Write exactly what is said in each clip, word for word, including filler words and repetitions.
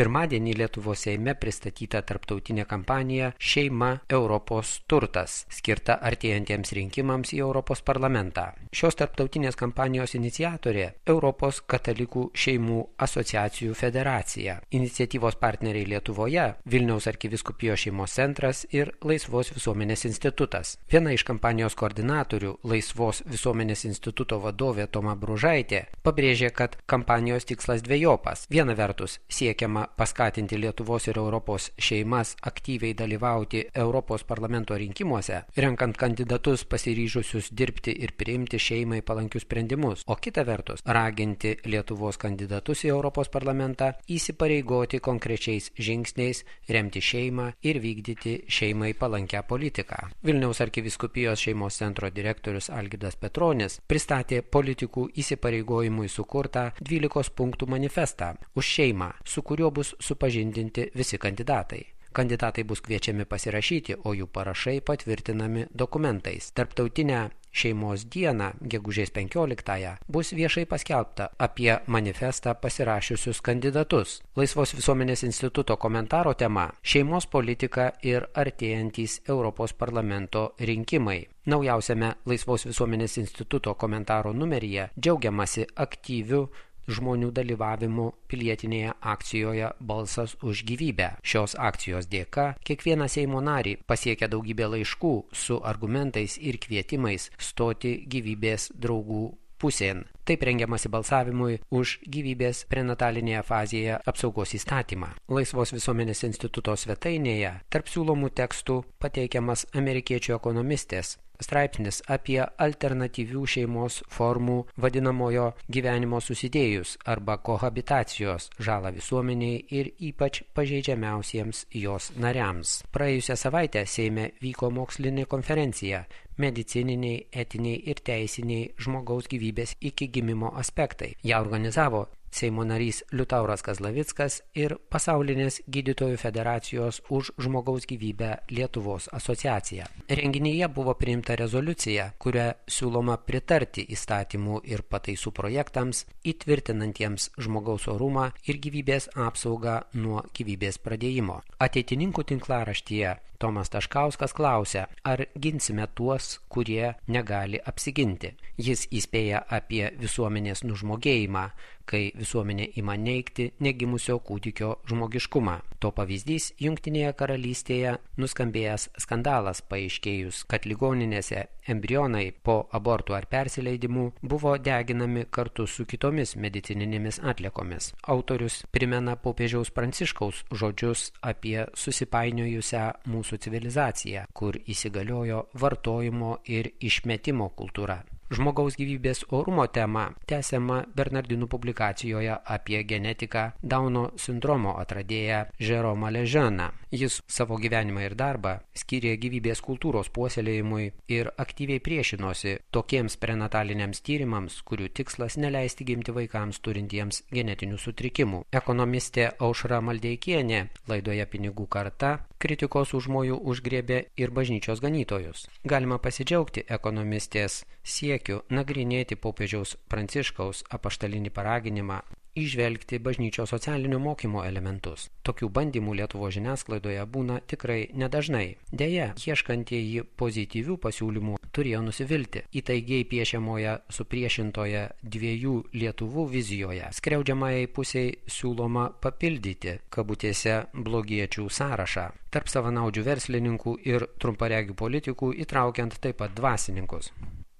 Pirmadienį Lietuvos Seime pristatyta tarptautinė kampanija Šeima Europos turtas, skirta artėjantiems rinkimams į Europos parlamentą. Šios tarptautinės kampanijos iniciatorė Europos katalikų šeimų asociacijų federacija. Iniciatyvos partneriai Lietuvoje Vilniaus arkivyskupijos šeimos centras ir Laisvos visuomenės institutas. Viena iš kampanijos koordinatorių, Laisvos visuomenės instituto vadovė Toma Bružaitė, pabrėžė, kad kampanijos tikslas dvejopas. Viena vertus siekiama paskatinti Lietuvos ir Europos šeimas aktyviai dalyvauti Europos parlamento rinkimuose, renkant kandidatus pasiryžusius dirbti ir priimti šeimai palankius sprendimus, o kita vertus raginti Lietuvos kandidatus į Europos parlamentą įsipareigoti konkrečiais žingsniais, remti šeimą ir vykdyti šeimai palankę politiką. Vilniaus arkivyskupijos šeimos centro direktorius Algirdas Petronis pristatė politikų įsipareigojimui sukurtą dvylikos punktų manifestą už šeimą, su kuriuo bus supažindinti visi kandidatai. Kandidatai bus kviečiami pasirašyti, o jų parašai patvirtinami dokumentais. Tarptautinę šeimos dieną, gegužės penkioliktąją, bus viešai paskelbta apie manifestą pasirašiusius kandidatus. Laisvos visuomenės instituto komentaro tema – šeimos politika ir artėjantys Europos parlamento rinkimai. Naujausiame Laisvos visuomenės instituto komentaro numeryje džiaugiamasi aktyviu žmonių dalyvavimu pilietinėje akcijoje Balsas už gyvybę. Šios akcijos dėka kiekvieną Seimo narį pasiekia daugybė laiškų su argumentais ir kvietimais stoti gyvybės draugų pusėn. Taip rengiamasi balsavimui už gyvybės prenatalinėje fazėje apsaugos įstatymą. Laisvos visuomenės instituto svetainėje tarp siūlomų tekstų pateikiamas amerikiečių ekonomistės straipsnis apie alternatyvių šeimos formų vadinamojo gyvenimo susidėjus arba kohabitacijos žalą visuomeniai ir ypač pažeidžiamiausiems jos nariams. Praėjusią savaitę Seime vyko mokslinė konferencija medicininiai, etiniai ir teisiniai žmogaus gyvybės iki gimimo aspektai. Ją organizavo Seimo narys Liutauras Kazlavickas ir Pasaulinės gydytojų federacijos už žmogaus gyvybę Lietuvos asociacija. Renginyje buvo priimta rezoliucija, kuria siūloma pritarti įstatymų ir pataisų projektams įtvirtinantiems žmogaus orumą ir gyvybės apsaugą nuo gyvybės pradėjimo. Ateitininkų tinklaraštyje Tomas Taškauskas klausia, ar ginsime tuos, kurie negali apsiginti. Jis įspėja apie visuomenės nužmogėjimą, kai visuomenė ima neigti negimusio kūdikio žmogiškumą. To pavyzdys Jungtinėje karalystėje nuskambėjęs skandalas paaiškėjus, kad ligoninėse embrionai po abortų ar persileidimų buvo deginami kartu su kitomis medicininėmis atliekomis. Autorius primena popiežiaus Pranciškaus žodžius apie susipainiojusią mūsų civilizaciją, kur įsigaliojo vartojimo ir išmetimo kultūra. Žmogaus gyvybės orumo tema tęsiama Bernardinų publikacijoje apie genetiką Dauno sindromo atradėją Jeromą Leženą. Jis savo gyvenimą ir darbą skyrė gyvybės kultūros puoselėjimui ir aktyviai priešinosi tokiems prenataliniams tyrimams, kurių tikslas neleisti gimti vaikams turintiems genetinių sutrikimų. Ekonomistė Aušra Maldeikienė laidoje Pinigų karta kritikos užmojų užgriebė ir bažnyčios ganytojus. Galima pasidžiaugti ekonomistės siekiu nagrinėti popiežiaus Pranciškaus apaštalinį paraginimą įžvelgti bažnyčios socialinio mokymo elementus. Tokių bandymų Lietuvos žiniasklaidoje būna tikrai nedažnai. Deja, ieškantieji pozityvių pasiūlymų turėjo nusivilti. Įtaigiai piešiamoje supriešintoje dviejų Lietuvų vizijoje skriaudžiamajai pusiai siūloma papildyti kabutėse blogiečių sąrašą. Tarp savanaudžių verslininkų ir trumparegių politikų įtraukiant taip pat dvasininkus.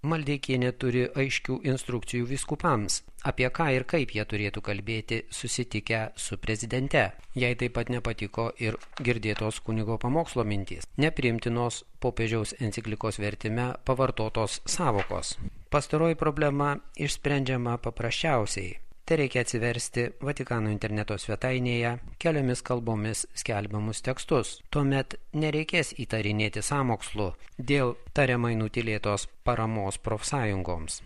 Maldeikienė turi aiškių instrukcijų vyskupams, apie ką ir kaip jie turėtų kalbėti susitikę su prezidente. Jai taip pat nepatiko ir girdėtos kunigo pamokslo mintys, nepriimtinos popiežiaus enciklikos vertime pavartotos savokos. Pastaroji problema išsprendžiama paprasčiausiai. Tai reikia atsiversti Vatikano interneto svetainėje keliomis kalbomis skelbiamus tekstus. Tuomet nereikės įtarinėti sąmokslu dėl tariamai nutylėtos paramos profsąjungoms.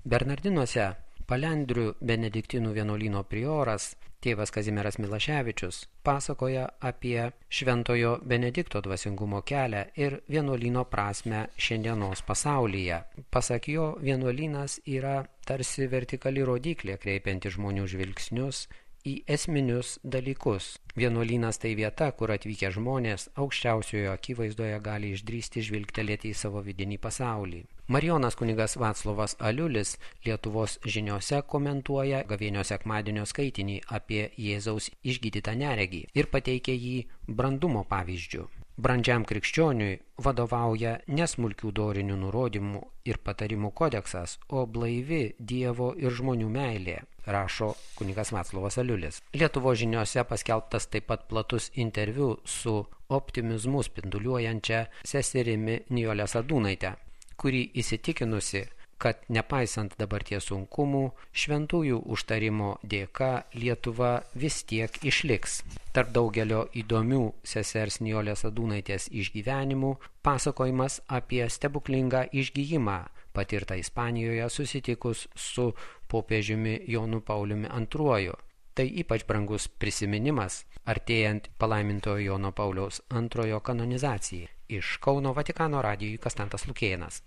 Bernardinuose Palendrių benediktinų vienuolyno prioras tėvas Kazimieras Milaševičius pasakoja apie Šventojo Benedikto dvasingumo kelią ir vienuolyno prasmę šiandienos pasaulyje. Pasak jo, vienuolynas yra tarsi vertikali rodyklė kreipianti žmonių žvilgsnius į esminius dalykus. Vienuolynas tai vieta, kur atvykę žmonės aukščiausiojo akivaizdoje gali išdrįsti žvilgtelėti į savo vidinį pasaulį. Marijonas kunigas Vaclovas Aliulis Lietuvos žiniose komentuoja gavėnio sekmadienio skaitinį apie Jėzaus išgydytą neregį ir pateikia jį brandumo pavyzdžiu. Brandžiam krikščioniui vadovauja nesmulkių dorinių nurodymų ir patarimų kodeksas, o blaivi Dievo ir žmonių meilė, rašo kunigas Vaclovas Aliulis. Lietuvos žiniose paskelbtas taip pat platus interviu su optimizmu spinduliuojančia seserimi Nijole Sadūnaite, kuri įsitikinusi, kad nepaisant dabarties sunkumų, šventųjų užtarimo dėka Lietuva vis tiek išliks. Tarp daugelio įdomių sesers Nijolės Sadūnaitės išgyvenimų pasakojimas apie stebuklingą išgijimą patirtą Ispanijoje susitikus su popiežiumi Jonu Pauliumi antruoju. Tai ypač brangus prisiminimas artėjant palaimintojo Jono Pauliaus antrojo kanonizacijai. Iš Kauno Vatikano radijui Kastantas Lukėnas.